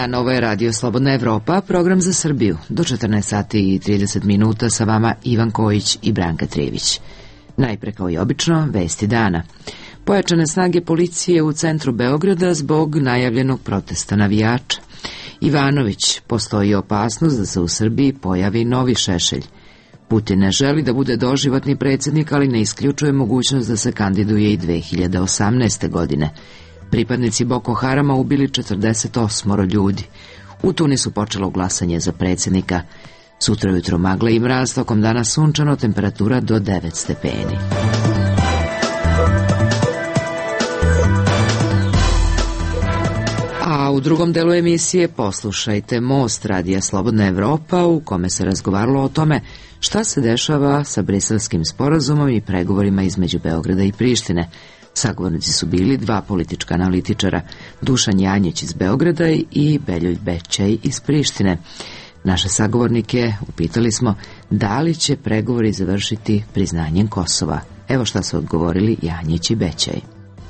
Dan, ovo je Radio Slobodna Evropa, program za Srbiju. Do 14 sati i 30 minuta sa vama Ivan Kojić i Branka Trević. Najpre, kao i obično, vesti dana. Pojačane snage policije u centru Beograda zbog najavljenog protesta navijača. Ivanović, postoji opasnost da se u Srbiji pojavi novi Šešelj. Putin ne želi da bude doživotni predsjednik, ali ne isključuje mogućnost da se kandiduje i 2018. godine. Pripadnici Boko Harama ubili 48 ljudi. U Tunisu počelo glasanje za predsjednika. Sutra ujutro magla i mraz, tokom dana sunčano, temperatura do 9 stepeni. A u drugom delu emisije poslušajte Most Radija Slobodna Evropa, u kome se razgovaralo o tome šta se dešava sa Briselskim sporazumom i pregovorima između Beograda i Prištine. Sagovornici su bili dva politička analitičara, Dušan Janjić iz Beograda i Beljulj Bećaj iz Prištine. Naše sagovornike upitali smo da li će pregovori završiti priznanjem Kosova. Evo šta su odgovorili Janjić i Bećaj.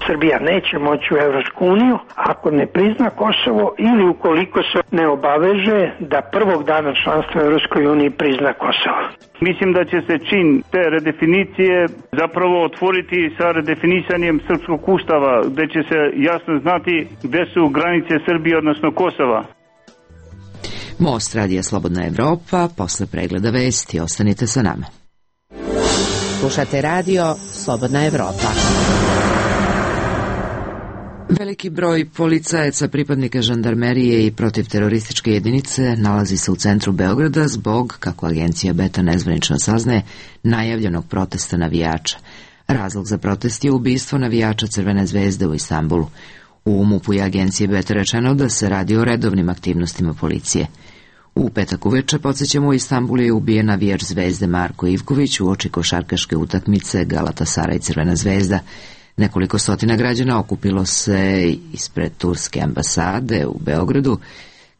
Srbija neće moći u Evropsku uniju ako ne prizna Kosovo ili ukoliko se ne obaveže da prvog dana članstva u Evropskoj uniji prizna Kosovo. Mislim da će se čin te redefinicije zapravo otvoriti sa redefinisanjem srpskog ustava, gde će se jasno znati gde su granice Srbije, odnosno Kosova. Most Radija Slobodna Evropa, posle pregleda vesti. Ostanite sa nama. Slušate Radio Slobodna Evropa. Veliki broj policajaca, pripadnika žandarmerije i protivterorističke jedinice nalazi se u centru Beograda zbog, kako agencija Beta nezvanično saznaje, najavljenog protesta navijača. Razlog za protest je ubistvo navijača Crvene zvezde u Istanbulu. U MUP-u je agencije Beta rečeno da se radi o redovnim aktivnostima policije. U petak uveče, podsjećamo, u Istanbulu je ubijen navijač Zvezde Marko Ivković uoči košarkaške utakmice Galatasaraj i Crvena zvezda. Nekoliko stotina građana okupilo se ispred turske ambasade u Beogradu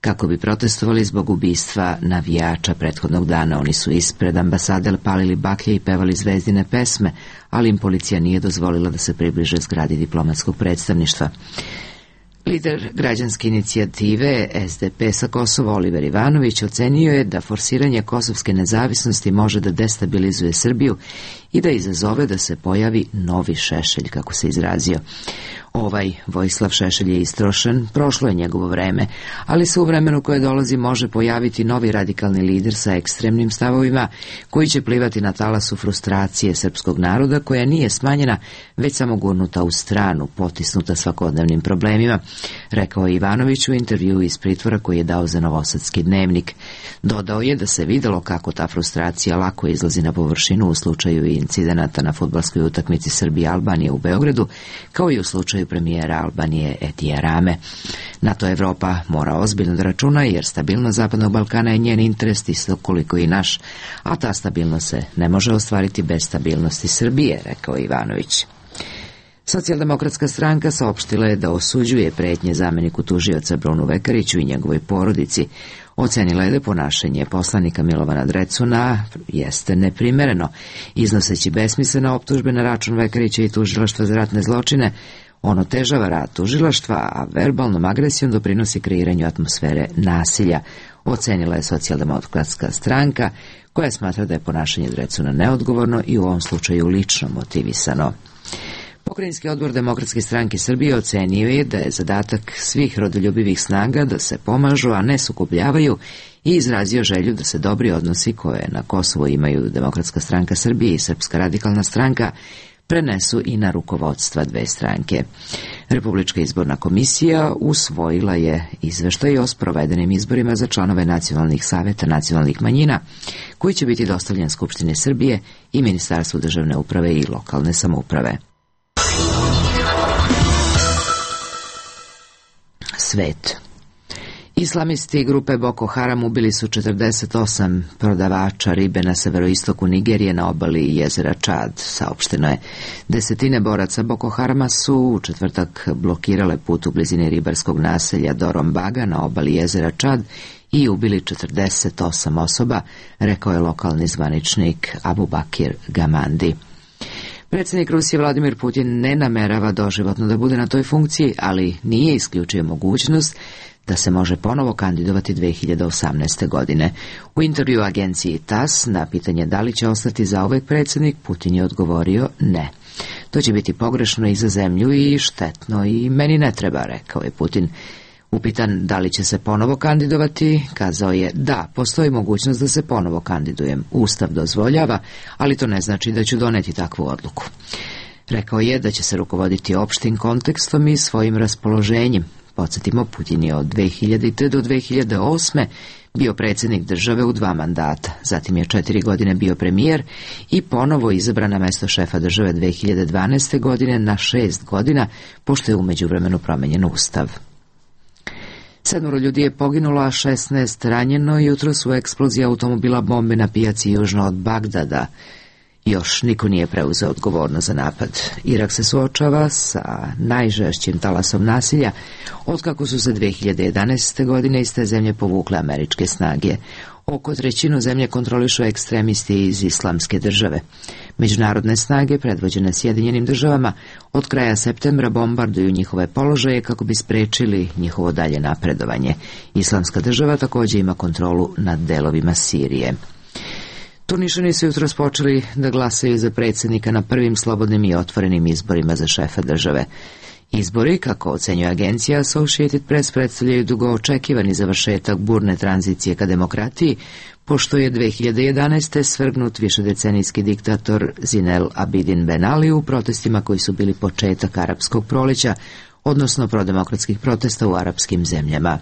kako bi protestovali zbog ubistva navijača prethodnog dana. Oni su ispred ambasade palili baklje i pevali zvezdine pesme, ali im policija nije dozvolila da se približe zgradi diplomatskog predstavništva. Lider građanske inicijative SDP sa Kosova Oliver Ivanović ocenio je da forsiranje kosovske nezavisnosti može da destabilizuje Srbiju i da izazove da se pojavi novi Šešelj, kako se izrazio. Ovaj Vojislav Šešelj je istrošen, prošlo je njegovo vreme, ali se u vremenu koje dolazi može pojaviti novi radikalni lider sa ekstremnim stavovima koji će plivati na talasu frustracije srpskog naroda koja nije smanjena, već samo gurnuta u stranu, potisnuta svakodnevnim problemima, rekao je Ivanović u intervjuu iz pritvora koji je dao za Novosadski dnevnik. Dodao je da se videlo kako ta frustracija lako izlazi na površinu u slučaju incidenata na fudbalskoj utakmici Srbije-Albanije u Beogradu, kao i u slučaju premijera Albanije Etija Rame. Na to Evropa mora ozbiljno da računa, jer stabilnost Zapadnog Balkana je njen interes isto koliko i naš, a ta stabilnost se ne može ostvariti bez stabilnosti Srbije, rekao Ivanović. Socijaldemokratska stranka saopštila je da osuđuje pretnje zameniku tužioca Brunu Vekariću i njegovoj porodici. Ocenila je da ponašanje poslanika Milovana Drecuna jeste neprimereno, iznoseći besmislene optužbe na račun Vekarića i tužilaštva za ratne zločine. On otežava rad tužilaštva, a verbalnom agresijom doprinosi kreiranju atmosfere nasilja, ocenila je Socijaldemokratska stranka, koja smatra da je ponašanje Drecuna neodgovorno i u ovom slučaju lično motivisano. Pokrajinski odbor Demokratske stranke Srbije ocenio je da je zadatak svih rodoljubivih snaga da se pomažu, a ne sukobljavaju, i izrazio želju da se dobri odnosi koje na Kosovu imaju Demokratska stranka Srbije i Srpska radikalna stranka prenesu i na rukovodstva dve stranke. Republička izborna komisija usvojila je izveštaj o sprovedenim izborima za članove nacionalnih saveta nacionalnih manjina, koji će biti dostavljen Skupštini Srbije i Ministarstvu državne uprave i lokalne samouprave. Svet. Islamisti grupe Boko Haram ubili su 48 prodavača ribe na severoistoku Nigerije na obali jezera Čad, saopšteno je. Desetine boraca Boko Harama su u četvrtak blokirale put u blizini ribarskog naselja Dorombaga na obali jezera Čad i ubili 48 osoba, rekao je lokalni zvaničnik Abubakir Gamandi. Predsjednik Rusije Vladimir Putin ne namerava doživotno da bude na toj funkciji, ali nije isključio mogućnost da se može ponovo kandidovati 2018. godine. U intervju agenciji TASS na pitanje da li će ostati zauvek predsjednik, Putin je odgovorio ne. To će biti pogrešno i za zemlju i štetno i meni ne treba, rekao je Putin. Upitan da li će se ponovo kandidovati, kazao je da, postoji mogućnost da se ponovo kandidujem. Ustav dozvoljava, ali to ne znači da ću doneti takvu odluku. Rekao je da će se rukovoditi opštim kontekstom i svojim raspoloženjem. Podsjetimo, Putin je od 2000. do 2008. bio predsjednik države u 2 mandata, zatim je 4 godine bio premijer i ponovo izabran na mesto šefa države 2012. godine na 6 godina, pošto je u međuvremenu promenjen ustav. 7 ljudi je poginulo, a 16 ranjeno jutros u eksploziji automobila bombe na pijaci južno od Bagdada. Još niko nije preuzeo odgovornost za napad. Irak se suočava sa najžešćim talasom nasilja otkako su se 2011. godine iz te zemlje povukle američke snage. Oko trećinu zemlje kontrolišu ekstremisti iz Islamske države. Međunarodne snage, predvođene Sjedinjenim državama, od kraja septembra bombarduju njihove položaje kako bi sprečili njihovo dalje napredovanje. Islamska država također ima kontrolu nad delovima Sirije. Turnišani su jutros počeli da glasaju za predsjednika na prvim slobodnim i otvorenim izborima za šefa države. Izbori, kako ocenjuje agencija Associated Press, predstavljaju dugo očekivani završetak burne tranzicije ka demokratiji, pošto je 2011. svrgnut višedecenijski diktator Zinel Abidin Ben Ali u protestima koji su bili početak arapskog proleća, odnosno prodemokratskih protesta u arapskim zemljama.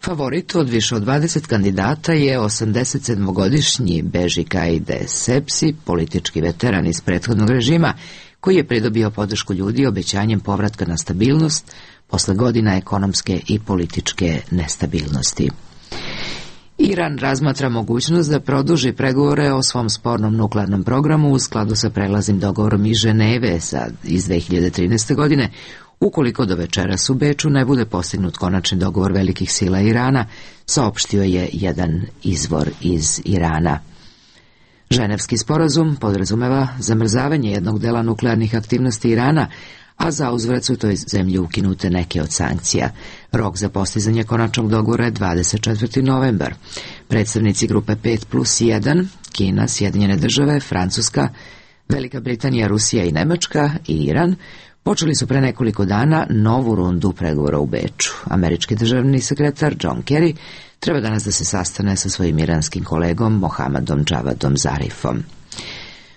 Favorit od više od 20 kandidata je 87-godišnji Beži Kaide Sepsi, politički veteran iz prethodnog režima, koji je pridobio podršku ljudi obećanjem povratka na stabilnost posle godina ekonomske i političke nestabilnosti. Iran razmatra mogućnost da produži pregovore o svom spornom nuklearnom programu u skladu sa prelaznim dogovorom iz Ženeve iz 2013. godine, ukoliko do večeras u Beču ne bude postignut konačni dogovor velikih sila Irana, saopštio je jedan izvor iz Irana. Ženevski sporazum podrazumeva zamrzavanje jednog dela nuklearnih aktivnosti Irana, a za uzvrat su toj zemlji ukinute neke od sankcija. Rok za postizanje konačnog dogovora je 24. novembar. Predstavnici grupe 5+1, Kina, Sjedinjene države, Francuska, Velika Britanija, Rusija i Nemačka i Iran, počeli su pre nekoliko dana novu rundu pregovora u Beču. Američki državni sekretar John Kerry treba danas da se sastane sa svojim iranskim kolegom Mohammadom Javadom Zarifom.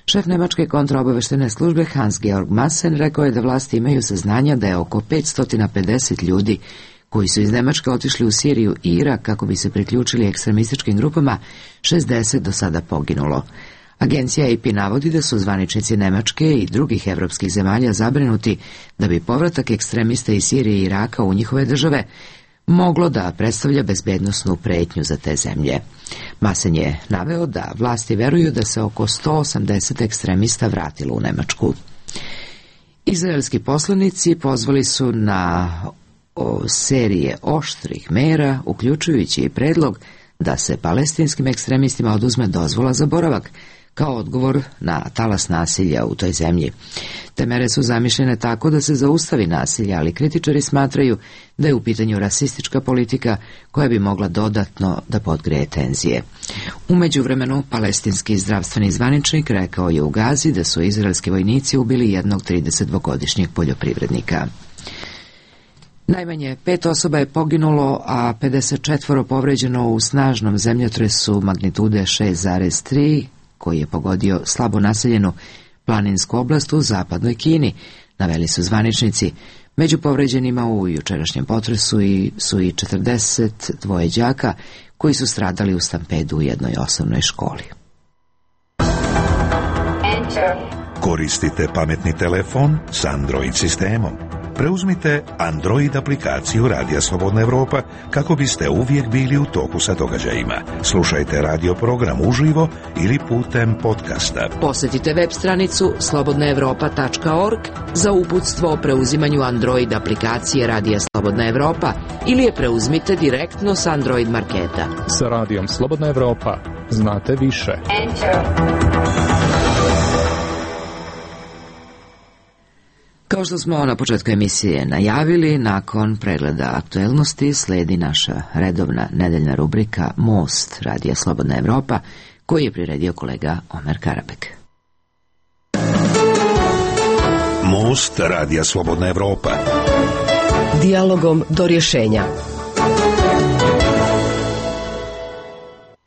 Šef nemačke kontraobaveštene službe Hans-Georg Maassen rekao je da vlasti imaju saznanja da je oko 550 ljudi koji su iz Nemačke otišli u Siriju i Irak kako bi se priključili ekstremističkim grupama, 60 do sada poginulo. Agencija AP navodi da su zvaničnici Nemačke i drugih evropskih zemalja zabrinuti da bi povratak ekstremista iz Sirije i Iraka u njihove države moglo da predstavlja bezbednosnu pretnju za te zemlje. Maassen je naveo da vlasti veruju da se oko 180 ekstremista vratilo u Nemačku. Izraelski poslanici pozvali su na serije oštrih mera, uključujući i predlog da se palestinskim ekstremistima oduzme dozvola za boravak, kao odgovor na talas nasilja u toj zemlji. Te mere su zamišljene tako da se zaustavi nasilje, ali kritičari smatraju da je u pitanju rasistička politika koja bi mogla dodatno da podgreje tenzije. U međuvremenu, palestinski zdravstveni zvaničnik rekao je u Gazi da su izraelski vojnici ubili jednog 32-godišnjeg poljoprivrednika. Najmanje 5 osoba je poginulo, a 54 povređeno u snažnom zemljotresu magnitude 6,3, koji je pogodio slabo naseljenu planinsku oblast u zapadnoj Kini, naveli su zvaničnici. Među povređenima u jučerašnjem potresu su i 42 đaka koji su stradali u stampedu u jednoj osnovnoj školi. Koristite pametni telefon s Android sistemom. Preuzmite Android aplikaciju Radija Slobodna Evropa kako biste uvijek bili u toku sa događajima. Slušajte radio program uživo ili putem podcasta. Posjetite web stranicu slobodnaevropa.org za uputstvo o preuzimanju Android aplikacije Radija Slobodna Evropa ili je preuzmite direktno s Android marketa. Sa Radijom Slobodna Evropa znate više. Kao što smo na početku emisije najavili, nakon pregleda aktuelnosti slijedi naša redovna nedeljna rubrika Most Radija Slobodna Evropa, koji je priredio kolega Omer Karabek. Most Radija Slobodna Evropa. Dijalogom do rješenja.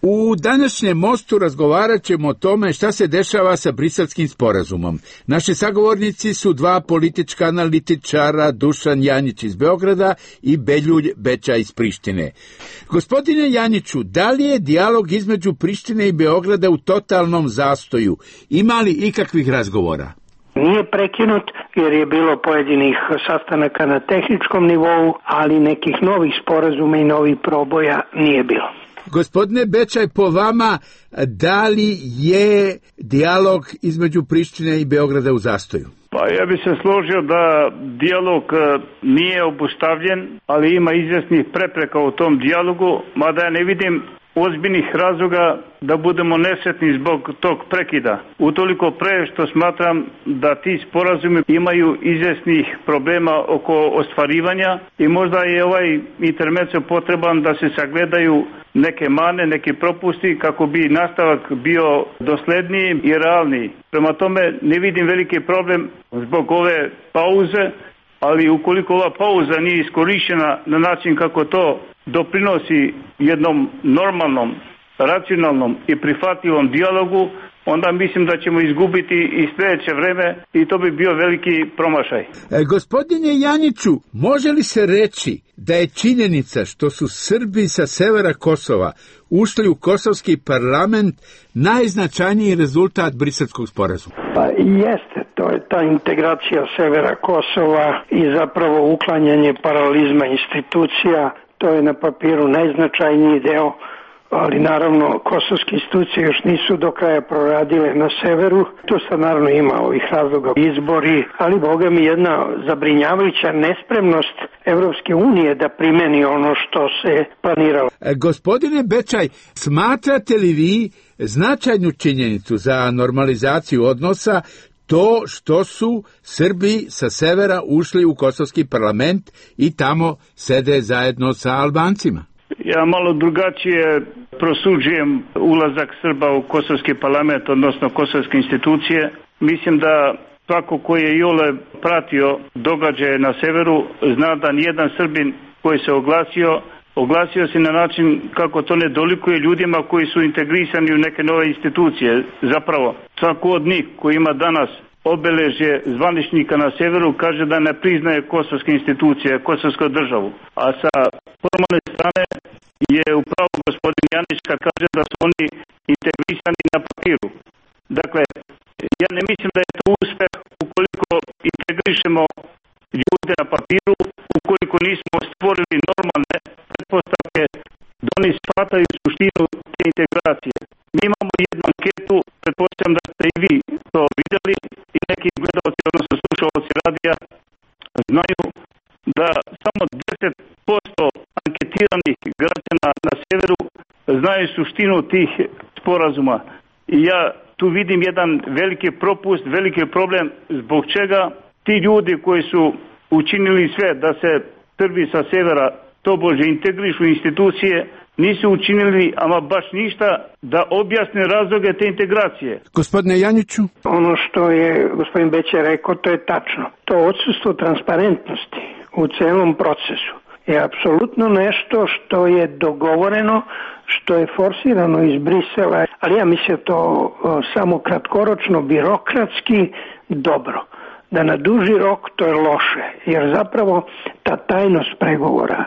U današnjem Mostu razgovarat ćemo o tome šta se dešava sa Briselskim sporazumom. Naši sagovornici su dva politička analitičara, Dušan Janjić iz Beograda i Beljulj Beča iz Prištine. Gospodine Janjiću, da li je dijalog između Prištine i Beograda u totalnom zastoju? Ima li ikakvih razgovora? Nije prekinut jer je bilo pojedinih sastanaka na tehničkom nivou, ali nekih novih sporazuma i novih proboja nije bilo. Gospodine Bečaj, po vama, da li je dijalog između Prištine i Beograda u zastoju? Pa ja bi se složio da dijalog nije obustavljen, ali ima izvjesnih prepreka u tom dijalogu, mada ja ne vidim ozbiljnih razloga da budemo nesretni zbog tog prekida. Utoliko pre što smatram da ti sporazumi imaju izvjesnih problema oko ostvarivanja i možda je ovaj intermezzo potreban da se sagledaju neke mane, neki propusti kako bi nastavak bio dosledniji i realniji. Prema tome ne vidim veliki problem zbog ove pauze, ali ukoliko ova pauza nije iskorištena na način kako to doprinosi jednom normalnom, racionalnom i prihvatljivom dijalogu, onda mislim da ćemo izgubiti i sljedeće vreme i to bi bio veliki promašaj. Gospodine Janjiću, može li se reći da je činjenica što su Srbi sa severa Kosova ušli u kosovski parlament najznačajniji rezultat Briselskog sporazuma? Pa jeste, to je ta integracija severa Kosova i zapravo uklanjanje paralizma institucija. To je na papiru najznačajniji deo, ali naravno kosovske institucije još nisu do kraja proradile na severu. Tu sad naravno ima ovih razloga, izbori, ali boga mi jedna zabrinjavajuća nespremnost Evropske unije da primeni ono što se planiralo. Gospodine Bečaj, smatrate li vi značajnu činjenicu za normalizaciju odnosa to što su Srbi sa severa ušli u kosovski parlament i tamo sede zajedno sa Albancima? Ja malo drugačije prosuđujem ulazak Srba u kosovski parlament, odnosno kosovske institucije. Mislim da svako koji je iole pratio događaje na severu zna da nijedan Srbin koji se oglasio se na način kako to ne dolikuje ljudima koji su integrisani u neke nove institucije. Zapravo, svako od njih koji ima danas obeležje zvaničnika na severu kaže da ne priznaje kosovske institucije, kosovsku državu. A sa formalne strane je upravo gospodin Janić kad kaže da su oni integrisani na papiru. Dakle, ja ne mislim da je to uspeh ukoliko integrišemo ljude na papiru, ukoliko nismo stvorili normalne pretpostavke da oni shvataju suštinu te integracije. Mi imamo jednu anketu, pretpostavljam da ste i vi to vidjeli i neki gledalci, odnosno slušalci radija, znaju da samo 10% anketiranih građana na severu znaju suštinu tih sporazuma. I ja tu vidim jedan veliki propust, veliki problem zbog čega ti ljudi koji su učinili sve da se Srbi sa severa tobože integrišu institucije, nisu učinili ama baš ništa da objasne razloge te integracije. Gospodine Janjiću? Ono što je gospodin Beća rekao, to je tačno. To odsustvo transparentnosti u celom procesu je apsolutno nešto što je dogovoreno, što je forsirano iz Brisela, ali ja mislim to samo kratkoročno, birokratski dobro. Da na duži rok to je loše, jer zapravo ta tajnost pregovora,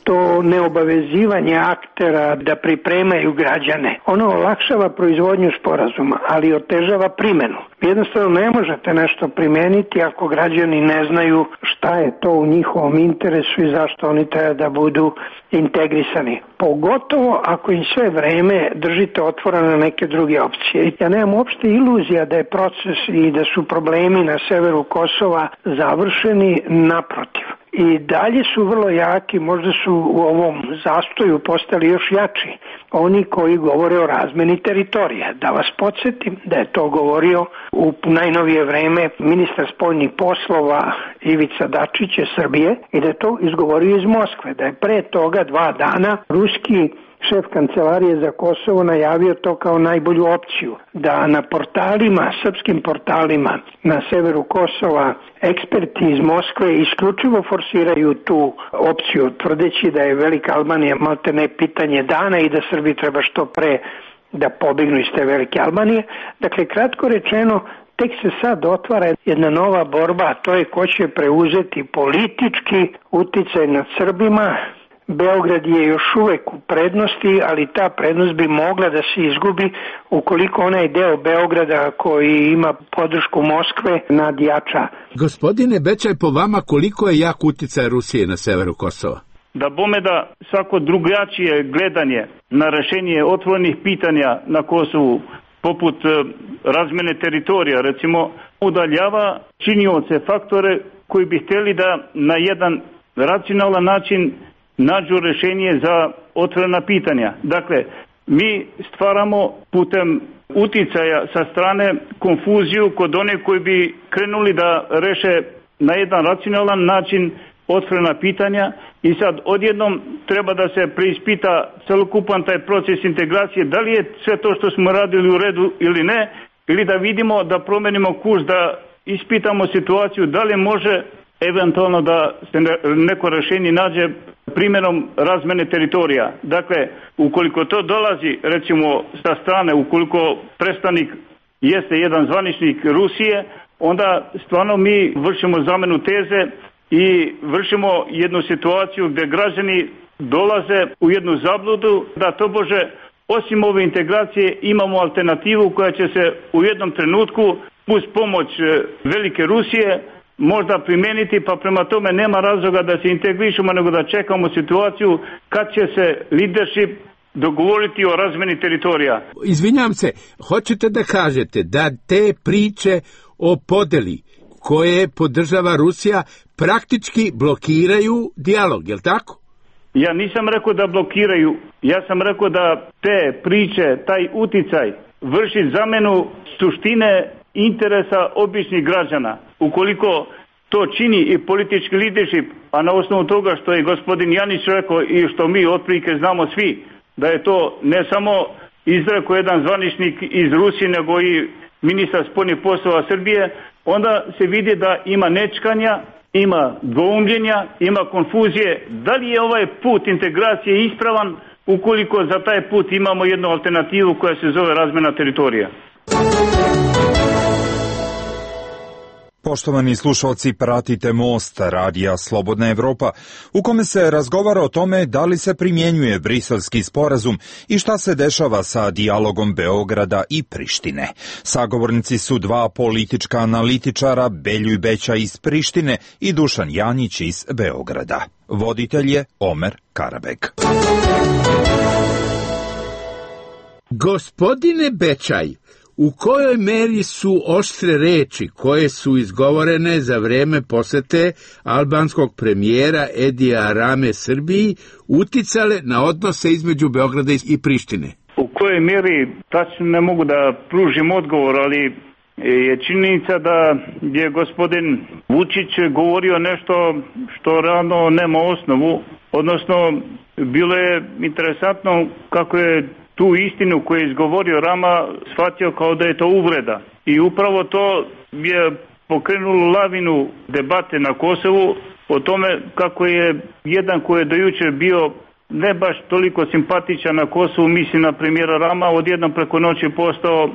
to neobavezivanje aktera da pripremaju građane, ono olakšava proizvodnju sporazuma, ali otežava primjenu. Jednostavno ne možete nešto primeniti ako građani ne znaju šta je to u njihovom interesu i zašto oni treba da budu integrisani. Pogotovo ako im sve vreme držite otvorene na neke druge opcije. Ja nemam uopšte iluzija da je proces i da su problemi na severu Kosova završeni, naprotiv. I dalje su vrlo jaki, možda su u ovom zastoju postali još jači oni koji govore o razmeni teritorija. Da vas podsjetim da je to govorio u najnovije vreme ministar spoljnih poslova Ivica Dačić Srbije i da je to izgovorio iz Moskve, da je pre toga 2 dana ruski šef kancelarije za Kosovo najavio to kao najbolju opciju, da na portalima, srpskim portalima na severu Kosova eksperti iz Moskve isključivo forsiraju tu opciju, tvrdeći da je Velika Albanija maltene pitanje dana i da Srbi treba što pre da pobegnu iz te Velike Albanije. Dakle, kratko rečeno, tek se sad otvara jedna nova borba, a to je ko će preuzeti politički uticaj nad Srbima. Beograd je još uvek u prednosti, ali ta prednost bi mogla da se izgubi ukoliko onaj deo Beograda koji ima podršku Moskve nadjača. Gospodine Bečaj, po vama koliko je jak uticaj Rusije na severu Kosova? Da bome da svako drugačije gledanje na rešenje otvorenih pitanja na Kosovu, poput razmene teritorija, recimo, udaljava činioce, faktore koji bi htjeli da na jedan racionalan način nađu rešenje za otvorena pitanja. Dakle, mi stvaramo putem uticaja sa strane konfuziju kod one koji bi krenuli da reše na jedan racionalan način otvorena pitanja i sad odjednom treba da se preispita celokupan taj proces integracije, da li je sve to što smo radili u redu ili ne, ili da vidimo da promenimo kurs, da ispitamo situaciju, da li može eventualno da se neko rešenje nađe primjenom razmene teritorija. Dakle, ukoliko to dolazi, recimo, sa strane, ukoliko predstavnik jeste jedan zvaničnik Rusije, onda stvarno mi vršimo zamenu teze i vršimo jednu situaciju gdje građani dolaze u jednu zabludu da tobože osim ove integracije imamo alternativu koja će se u jednom trenutku uz pomoć velike Rusije možda primijeniti, pa prema tome nema razloga da se integrišemo, nego da čekamo situaciju kad će se leadership dogovoriti o razmeni teritorija. Izvinjam se, hoćete da kažete da te priče o podeli koje podržava Rusija praktički blokiraju dijalog, je li tako? Ja nisam rekao da blokiraju, ja sam rekao da te priče, taj uticaj vrši zamenu suštine interesa običnih građana. Ukoliko to čini i politički leadership, a na osnovu toga što je gospodin Janić rekao i što mi otprilike znamo svi, da je to ne samo izrekao jedan zvaničnik iz Rusije, nego i ministar spoljnih poslova Srbije, onda se vidi da ima nečkanja, ima dvoumljenja, ima konfuzije. Da li je ovaj put integracije ispravan ukoliko za taj put imamo jednu alternativu koja se zove razmena teritorija? Poštovani slušalci, pratite Most, radija Slobodna Evropa, u kome se razgovara o tome da li se primjenjuje Briselski sporazum i šta se dešava sa dijalogom Beograda i Prištine. Sagovornici su 2 politička analitičara, Beljoj Bećaj iz Prištine i Dušan Janjić iz Beograda. Voditelj je Omer Karabeg. Gospodine Bečaj, u kojoj meri su oštre reči koje su izgovorene za vreme posete albanskog premijera Edija Rame Srbiji uticale na odnose između Beograda i Prištine? U kojoj meri tačno ne mogu da pružim odgovor, ali je činjenica da je gospodin Vučić govorio nešto što realno nema osnovu, odnosno bilo je interesantno kako je tu istinu koju je izgovorio Rama shvatio kao da je to uvreda. I upravo to je pokrenulo lavinu debate na Kosovu o tome kako je jedan koji je do jučer bio ne baš toliko simpatičan na Kosovu, mislim na premijera Rama, odjednom preko noći postao,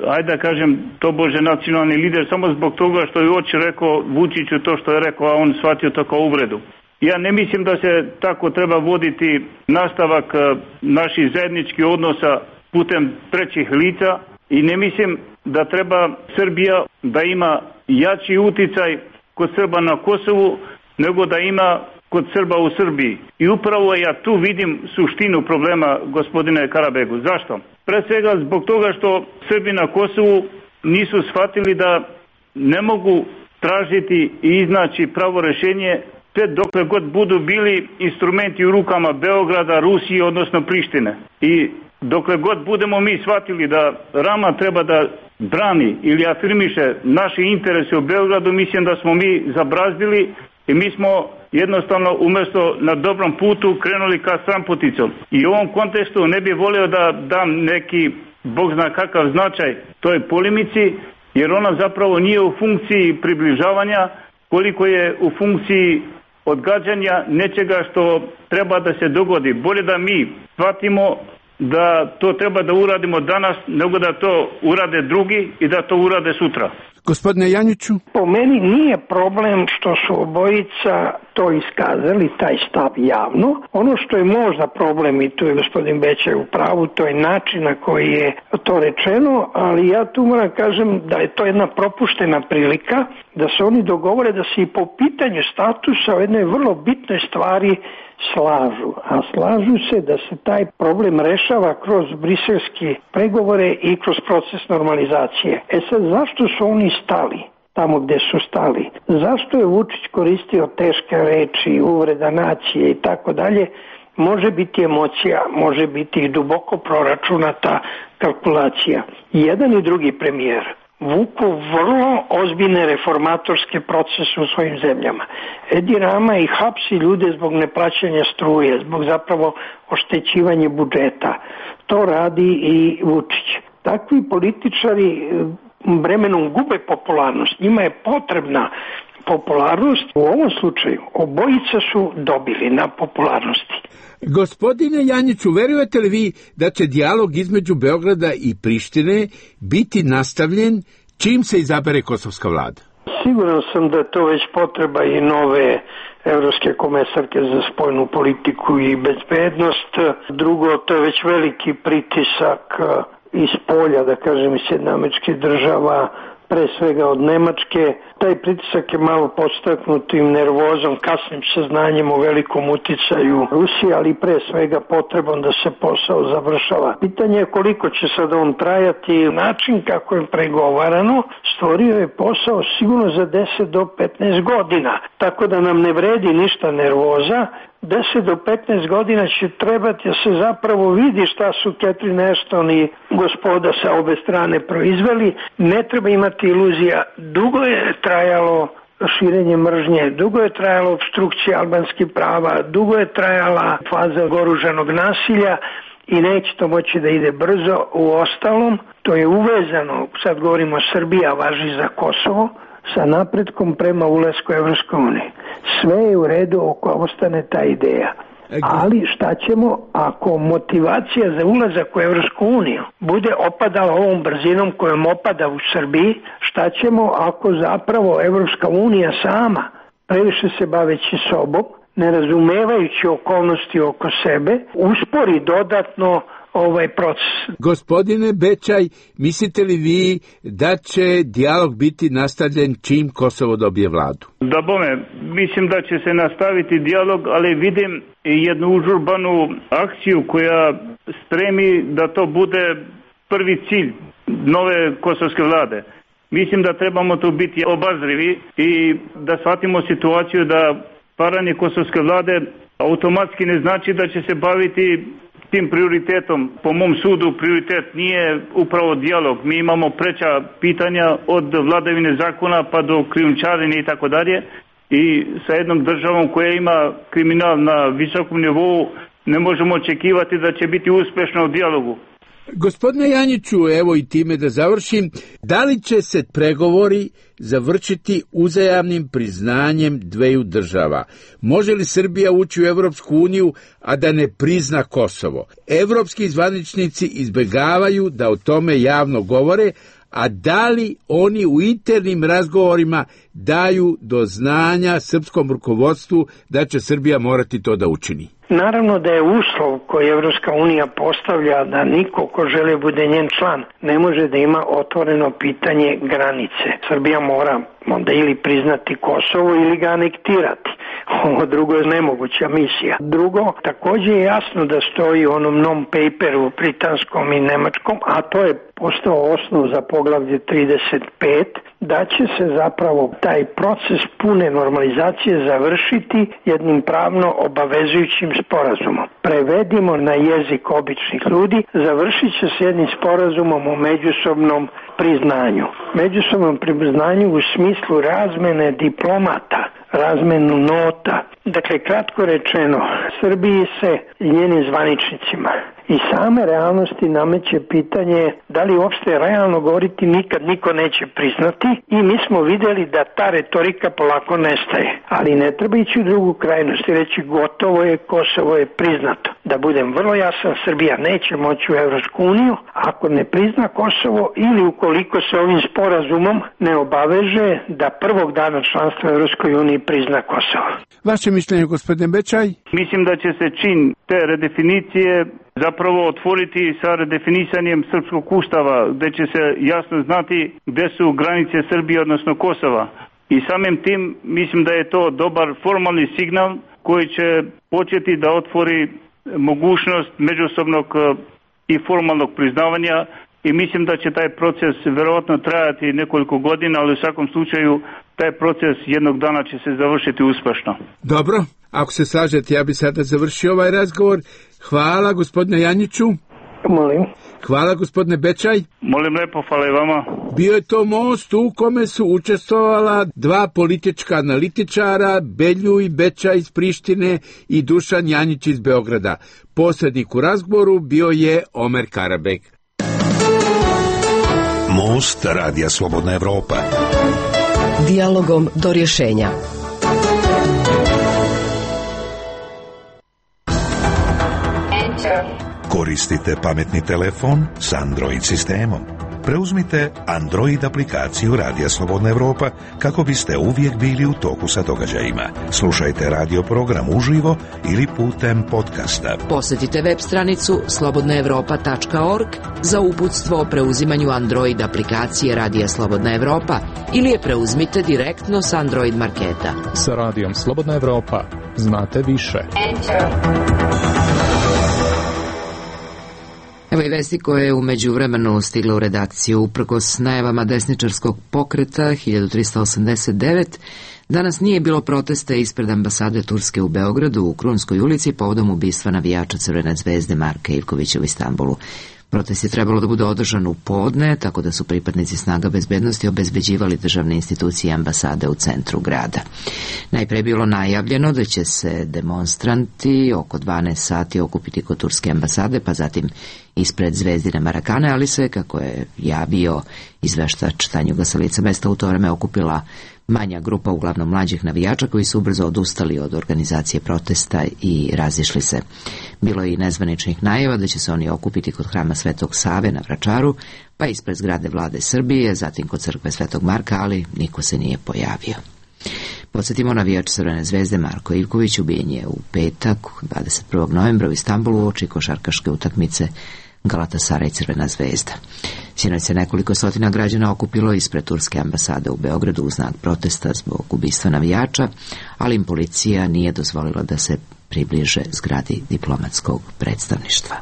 ajde da kažem, tobože nacionalni lider samo zbog toga što je oči rekao Vučiću to što je rekao, a on shvatio to kao uvredu. Ja ne mislim da se tako treba voditi nastavak naših zajedničkih odnosa putem trećih lica i ne mislim da treba Srbija da ima jači uticaj kod Srba na Kosovu nego da ima kod Srba u Srbiji. I upravo ja tu vidim suštinu problema, gospodine Karabegu. Zašto? Pre svega zbog toga što Srbi na Kosovu nisu shvatili da ne mogu tražiti i iznaći pravo rešenje sve dokle god budu bili instrumenti u rukama Beograda, Rusije, odnosno Prištine. I dokle god budemo mi shvatili da Rama treba da brani ili afirmiše naše interese u Beogradu, mislim da smo mi zabrazdili i mi smo jednostavno umjesto na dobrom putu krenuli ka stranputicom. I u ovom kontekstu ne bih volio da dam neki, Bog zna kakav značaj toj polemici, jer ona zapravo nije u funkciji približavanja koliko je u funkciji odgađanja nečega što treba da se dogodi. Bolje da mi shvatimo da to treba da uradimo danas, nego da to urade drugi i da to urade sutra. Gospodine Janjiću? Po meni nije problem što su obojica to iskazali, taj stav javno. Ono što je možda problem, i tu je gospodin Bećaj u pravu, to je način na koji je to rečeno, ali ja tu moram kažem da je to jedna propuštena prilika da se oni dogovore da se i po pitanju statusa o jednoj vrlo bitnoj stvari slažu, a slažu se da se taj problem rešava kroz briselske pregovore i kroz proces normalizacije. Sad, zašto su oni stali tamo gde su stali? Zašto je Vučić koristio teške reči, uvreda nacije i tako dalje? Može biti emocija, može biti i duboko proračunata kalkulacija. Jedan i drugi premijer vuku vrlo ozbiljne reformatorske procese u svojim zemljama. Edi Rama i hapsi ljude zbog neplaćanja struje, zbog zapravo oštećivanja budžeta. To radi i Vučić. Takvi političari vremenom gube popularnost. Njima je potrebna popularnost. U ovom slučaju obojica su dobili na popularnosti. Gospodine Janjiću, verujete li vi da će dijalog između Beograda i Prištine biti nastavljen čim se izabere kosovska vlada? Siguran sam da je to već potreba i nove evropske komesarke za spoljnu politiku i bezbednost. Drugo, to je već veliki pritisak iz polja, da kažem, iz Sjedinjenih Američkih Država, pre svega od Nemačke. Taj pritisak je malo podstaknut tim nervozom, kasnim saznanjem o velikom uticaju Rusije, ali pre svega potrebom da se posao završava. Pitanje je koliko će sad on trajati. Način kako je pregovarano stvorio je posao sigurno za 10 do 15 godina. Tako da nam ne vredi ništa nervoza. 10 do 15 godina će trebati da se zapravo vidi šta su Catherine Ashton i gospoda sa obe strane proizveli. Ne treba imati iluzija. Dugo je trajalo širenje mržnje, dugo je trajalo opstrukcija albanskih prava, dugo je trajala faza oružanog nasilja i neće to moći da ide brzo. U ostalom, to je uvezano, sad govorimo Srbija, važi za Kosovo, sa napretkom prema ulasku u Evropsku uniju. Sve je u redu oko ostane ta ideja. Ali šta ćemo ako motivacija za ulazak u Evropsku uniju bude opadala ovom brzinom kojom opada u Srbiji? Šta ćemo ako zapravo Evropska unija sama, previše se baveći sobom, ne razumevajući okolnosti oko sebe, uspori dodatno ovaj proces? Gospodine Bećaj, mislite li vi da će dijalog biti nastavljen čim Kosovo dobije vladu? Da bome, mislim da će se nastaviti dijalog, ali vidim i jednu užurbanu akciju koja stremi da to bude prvi cilj nove kosovske vlade. Mislim da trebamo tu biti obazrivi i da shvatimo situaciju da paranje kosovske vlade automatski ne znači da će se baviti tim prioritetom. Po mom sudu prioritet nije upravo dijalog. Mi imamo preča pitanja od vladavine zakona pa do krijumčarenja i tako dalje. I sa jednom državom koja ima kriminal na visokom nivou ne možemo očekivati da će biti uspešna u dijalogu. Gospodine Janjiću, evo i time da završim, da li će se pregovori završiti uzajamnim priznanjem dveju država? Može li Srbija ući u Evropsku uniju, a da ne prizna Kosovo? Evropski zvaničnici izbegavaju da o tome javno govore, a da li oni u internim razgovorima daju do znanja srpskom rukovodstvu da će Srbija morati to da učini? Naravno da je uslov koji Evropska unija postavlja da niko ko želi bude njen član ne može da ima otvoreno pitanje granice. Srbija mora onda ili priznati Kosovo ili ga anektirati. Ovo drugo je nemoguća misija. Drugo, također je jasno da stoji u onom non-paperu britanskom i nemačkom, a to je postao osnov za poglavlje 35, da će se zapravo taj proces pune normalizacije završiti jednim pravno obavezujućim sporazumom. Prevedimo na jezik običnih ljudi, završit će se jednim sporazumom o međusobnom priznanju. Međusobnom priznanju u smislu razmene diplomata, razmenu nota. Dakle, kratko rečeno, Srbiji se i njenim zvaničnicima i same realnosti nameće pitanje da li uopšte realno govoriti nikad niko neće priznati, i mi smo vidjeli da ta retorika polako nestaje. Ali ne treba ići u drugu krajnost i reći gotovo je, Kosovo je priznato. Da budem vrlo jasan, Srbija neće moći u Evropsku uniju ako ne prizna Kosovo ili ukoliko se ovim sporazumom ne obaveže da prvog dana članstva u Evropskoj uniji prizna Kosovo. Vaše mišljenje, gospodine Bečaj? Mislim da će se čin te redefinicije zapravo otvoriti sa redefinisanjem srpskog ustava, gde će se jasno znati gde su granice Srbije, odnosno Kosova. I samim tim mislim da je to dobar formalni signal koji će početi da otvori mogućnost međusobnog i formalnog priznavanja, i mislim da će taj proces verovatno trajati nekoliko godina, ali u svakom slučaju taj proces jednog dana će se završiti uspešno. Dobro, ako se slažete, ja bi sada završio ovaj razgovor. Hvala, gospodine Janjiću. Molim. Hvala, gospodine Bečaj. Molim lepo, hvala i vama. Bio je to most u kome su učestvovala dva politička analitičara, Beljuj Bečaj iz Prištine i Dušan Janjić iz Beograda. Posrednik u razgovoru bio je Omer Karabek. Most Radija Slobodna Evropa. Dijalogom do rješenja. Koristite pametni telefon s Android sistemom. Preuzmite Android aplikaciju Radija Slobodna Evropa kako biste uvijek bili u toku sa događajima. Slušajte radio program uživo ili putem podcasta. Posjetite web stranicu slobodnaevropa.org za uputstvo o preuzimanju Android aplikacije Radija Slobodna Evropa ili je preuzmite direktno s Android marketa. Sa Radijom Slobodna Evropa znate više. Evo i vesti koje je u međuvremenu stigla u redakciju. Uprkos najavama desničarskog pokreta 1389, danas nije bilo protesta ispred ambasade Turske u Beogradu u Krunskoj ulici povodom ubistva navijača Crvene zvezde Marka Ivkovića u Istanbulu. Protest je trebalo da bude održan u podne, tako da su pripadnici snaga bezbednosti obezbeđivali državne institucije i ambasade u centru grada. Najpre je bilo najavljeno da će se demonstranti oko 12 sati okupiti kod turske ambasade, pa zatim ispred Zvezdine Marakane, ali se, kako je javio izveštač Tanjuga sa lica mesta, u to vreme okupila manja grupa, uglavnom mlađih navijača, koji su ubrzo odustali od organizacije protesta i razišli se. Bilo je i nezvaničnih najava da će se oni okupiti kod hrama Svetog Save na Vračaru, pa ispred zgrade Vlade Srbije, zatim kod crkve Svetog Marka, ali niko se nije pojavio. Podsjetimo, navijač Crvene zvezde Marko Ivković ubijen je u petak, 21. novembra u Istanbulu uoči košarkaške utakmice Galatasaraj Crvena zvezda. Sinoć se nekoliko stotina građana okupilo ispred turske ambasade u Beogradu u znak protesta zbog ubistva navijača, ali im policija nije dozvolila da se približe zgradi diplomatskog predstavništva.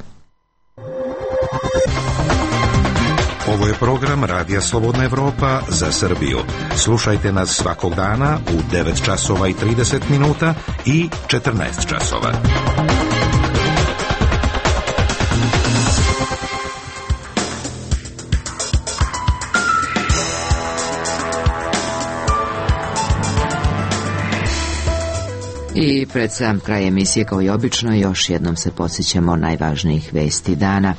Ovo je program Radija Slobodna Evropa za Srbiju. Slušajte nas svakog dana u 9 časova i 30 minuta i 14 časova. I pred sam kraj emisije, kao i obično, još jednom se podsjećamo najvažnijih vesti dana.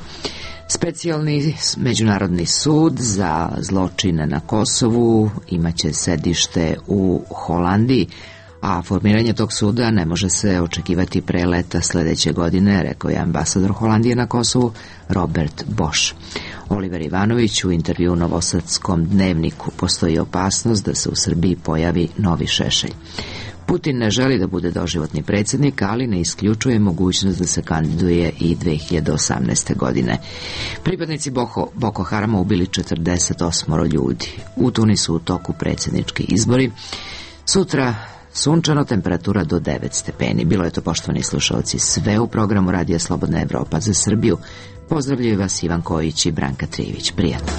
Specijalni međunarodni sud za zločine na Kosovu imaće sedište u Holandiji, a formiranje tog suda ne može se očekivati pre leta sledeće godine, rekao je ambasador Holandije na Kosovu Robert Bosch. Oliver Ivanović u intervju u Novosadskom dnevniku: postoji opasnost da se u Srbiji pojavi novi Šešelj. Putin ne želi da bude doživotni predsjednik, ali ne isključuje mogućnost da se kandiduje i 2018. godine. Pripadnici Boko Harama ubili 48 ljudi. U Tunisu u toku predsjednički izbori. Sutra sunčano, temperatura do 9 stepeni. Bilo je to, poštovani slušalci, sve u programu Radija Slobodna Evropa za Srbiju. Pozdravljaju vas Ivan Kojić i Branka Trijević. Prijatno.